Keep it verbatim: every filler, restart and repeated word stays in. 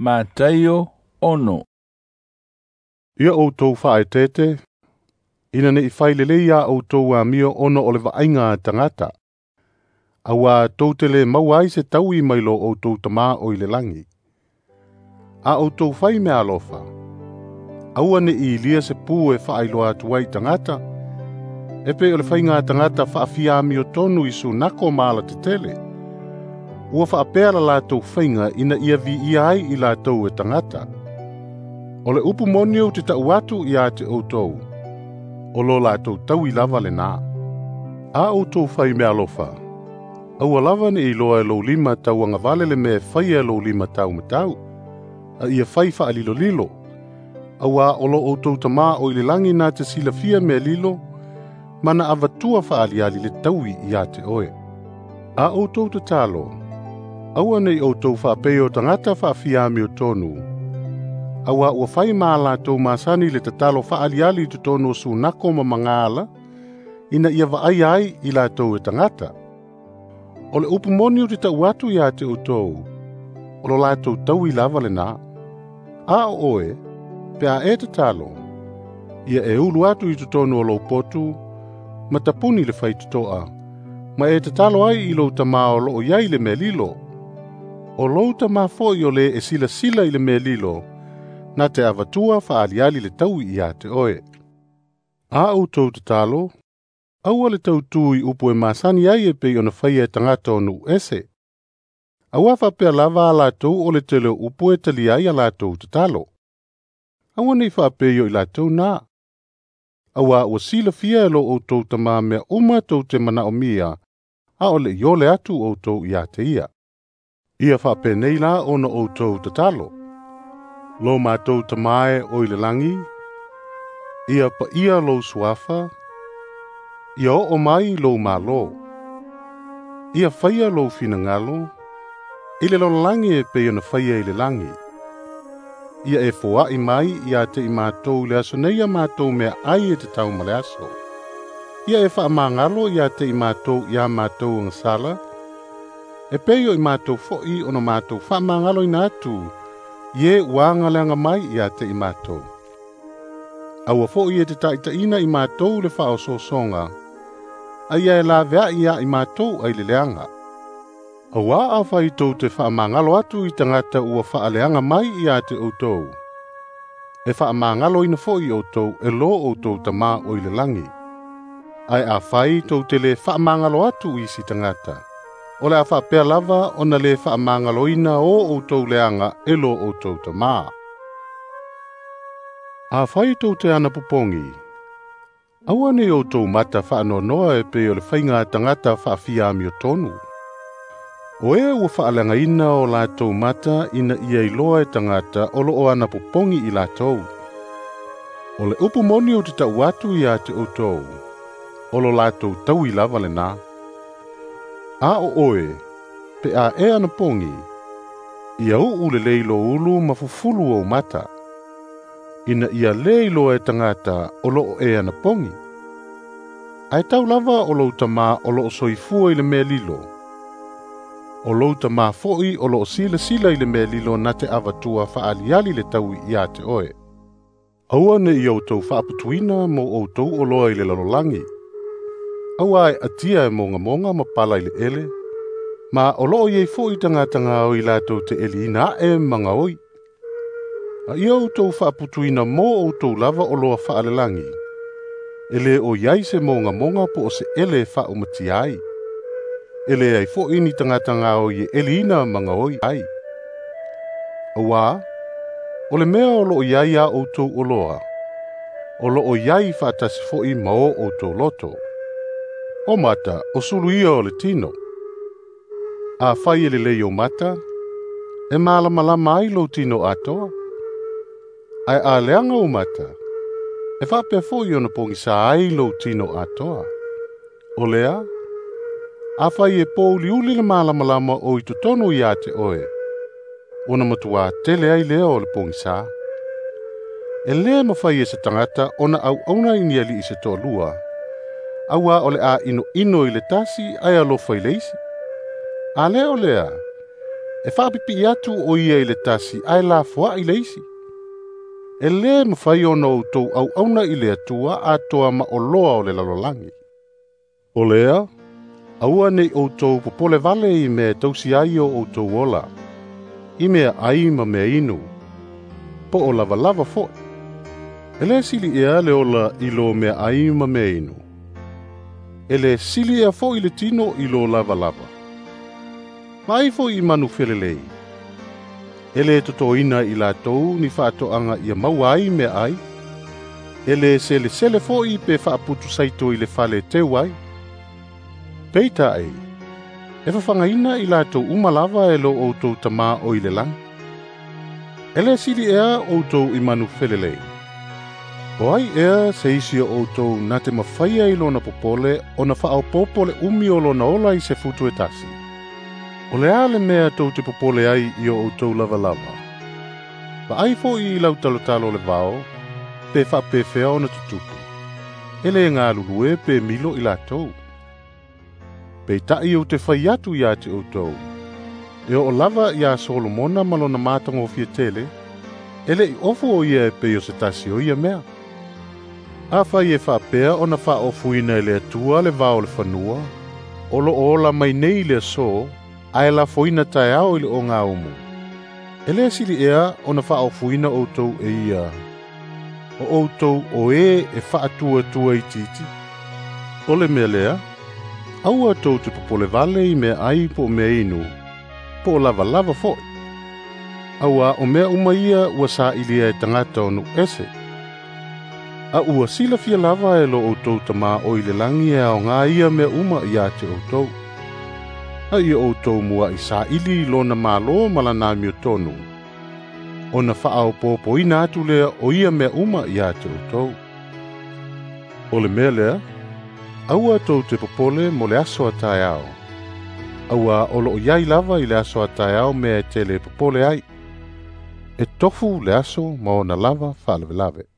Mataio ono. Ia outou faaeteete, ina ne'i fai lelei iā outou amio ona o le vaaiga a tagata, auā tou te lē maua ai se taui mai lo outou Tamā o i le lagi. A outou fai meaalofa, aua ne'i ilia se pu e faailoa atu ai i tagata, e pei o le faiga a tagata faafiamiotonu i sunako ma alatetele. Ua faapea la latou faiga ina ia viia ai i latou e tagata. O le upu moni ou te tau atu ia te outou, o lo latou taui lava lenā. A outou fai meaalofa, aua lava ne'i iloa e lou lima tauagavale le mea e faia e lou lima taumatau, a ia fai faalilolilo, auā o lo outou Tamā o i le lagi na te silafia mea lilo, ma na avatua faaliali le taui ia te oe. A outou tatalo, aua ne'i outou faapei o tagata faafiamiotonu, auā ua fai ma a latou masani le tatalo faaliali i totonu o sunako ma magaala, ina ia vaaia ai i latou e tagata. O le upu moni ou te tau atu ia te outou, o lo latou taui lava lenā. A o oe, pe a e tatalo, ia e ulu atu i totonu o lou potu, ma tapuni le faitotoa, ma e tatalo ai i lou Tamā o loo i ai le mea lilo. O lou Tamā foi o le e silasila i le mea lilo, na te avatua faaliali le taui ia te oe. A outou tatalo, aua le tautū i upu e masani ai e pei ona faia e tagata o nuu ese. Auā faapea lava a latou o le tele o upu e talia ai a latou tatalo. Aua nei faapei o i latou nā. Auā ua silafia e lo outou Tamā mea uma tou te manaomia, a o le iole atu outou ia te ia. Ia faapenei la ona outou tatalo. Lo matou Tamā e o i le lagi, ia paia lou suafa, ia oo mai lou Malo. Ia faia lou finagalo, i le lalolagi e pei ona faia i le lagi. Ia e foai mai ia te i matou i le aso nei a matou meaai e tatau ma le aso. Ia e faamagalo ia te i matou ia matou agasala, e pei o i matou foi ona matou faamagaloina atu, i e ua agaleaga mai ia te i matou. Aua foi e te taitaiina i matou le faaosoosoga, a ia e laveai ia i matou ai le leaga. Auā afai tou te faamagalo atu i tagata ua faaleaga mai ia te outou, e faamagaloina foi outou e lo outou Tamā o i le lagi. Ae afai tou te lē faamagalo atu i isi tagata, o le a faapea lava ona lē faamagaloina o outou leaga e lo outou Tamā. Afai tou te anapopogi, aua nei outou mata faanoanoa e pei o le faiga a tagata faafiamiotonu. O e ua faaleagaina o latou mata ina ia iloa e tagata o loo anapopogi i latou. O le upu moni ou te tau atu ia te outou, o lo latou taui lava lenā. A o oe, pe a e anapogi, ia uu lelei lou ulu ma fufulu ou mata, ina ia lē iloa e tagata o loo e anapogi. Ae tau lava o lou Tamā o loo soifua i le mea lilo. O lou Tamā foi o loo silasila i le mea lilo na te avatua faaliali le taui ia te oe. Aua ne'i outou faaputuina mo outou oloa i le lalolagi. Auā e atia e mogamoga ma pala i le ele, ma o loo i ai foi tagata gaoi latou te eliina ae ma gaoi. A ia outou faaputuina mo outou lava oloa faalelagi, e lē o i ai se mogamoga po o se ele e faaumatia ai. E leai foi ni tagata gaoi e eliina ma gaoi ai. Auā, o le mea o loo i ai a outou oloa, o loo i ai faatasi foi ma o outou loto. O mata, o sulu ia o le tino. Afai e lelei ou mata, e malamalama ai lou tino atoa. Ae a leaga ou mata, e faapea foi ona pogisā ai lou tino atoa. O lea, afai e pouliuli le malamalama o i totonu ia te oe, ona matuā tele ai lea o le pogisā. E lē mafai e se tagata ona auauna i ni alii se toalua, auā o le a inoino i le tasi ae alofa i le isi. A lē o lea, E faapipii atu o ia i le tasi ae lafoai le isi. E lē mafai ona outou auauna i le Atua atoa ma oloa o le lalolagi. O lea, aua nei outou popole vale i mea e tausi ai o outou ola, i mea ai ma mea inu, po o lavalava fo'i. E lē sili ea le ola i lo mea ai ma mea inu. E lē sili ea fo'i le tino i lo lavalava. Vaai fo'i i manu felelei. E lē totoina i latou ni faatoaga ia maua ai mea ai. E lē selesele fo'i pe faaputu saito i le fale e teu ai. Peitai, e fafagaina i latou uma lava e lo outou Tamā o i le lagi. E lē sili ea outou i manu felelei. O ai ea se isi o outou na te mafaia i lona popole ona faaopoopo le umi o lona ola i se futu e tasi. O le a le mea tou te popole ai i o outou lavalava. Vaai fo'i i lau talotalo o le vao, pe faapefea ona tutupu. E lē galulue pe milo i latou. Peitai ou te fai atu ia te outou. E oo lava iā Solomona ma lona matagofie tele, e le'i ofu o ia e pei o se tasi o ia mea. Afai e faapea ona faaofuina e le Atua le vao o le fanua, o loo ola mai nei i le aso, ae lafoina taeao i le ogaumu. E lē sili ea ona faaofuina outou e ia, o outou o e e faatuatua itiiti. O le mea lea, aua tou te popole vale i mea ai po o mea inu, po o lavalava fo'i. Auā o mea uma ia ua sailia e tagata o nuu ese. A ua silafia lava e lo outou Tamā o i le lagi e aogā ia mea uma iā te outou. A ia outou mua'i saili i lona Malo ma lana amiotonu, ona faaopoopoina atu lea o ia mea uma iā te outou. O le mea lea, aua tou te popole mo le aso a taeao. Auā o loo iai lava i le aso a taeao mea e tele e popole ai. E tofu le aso ma ona lava faalavelave.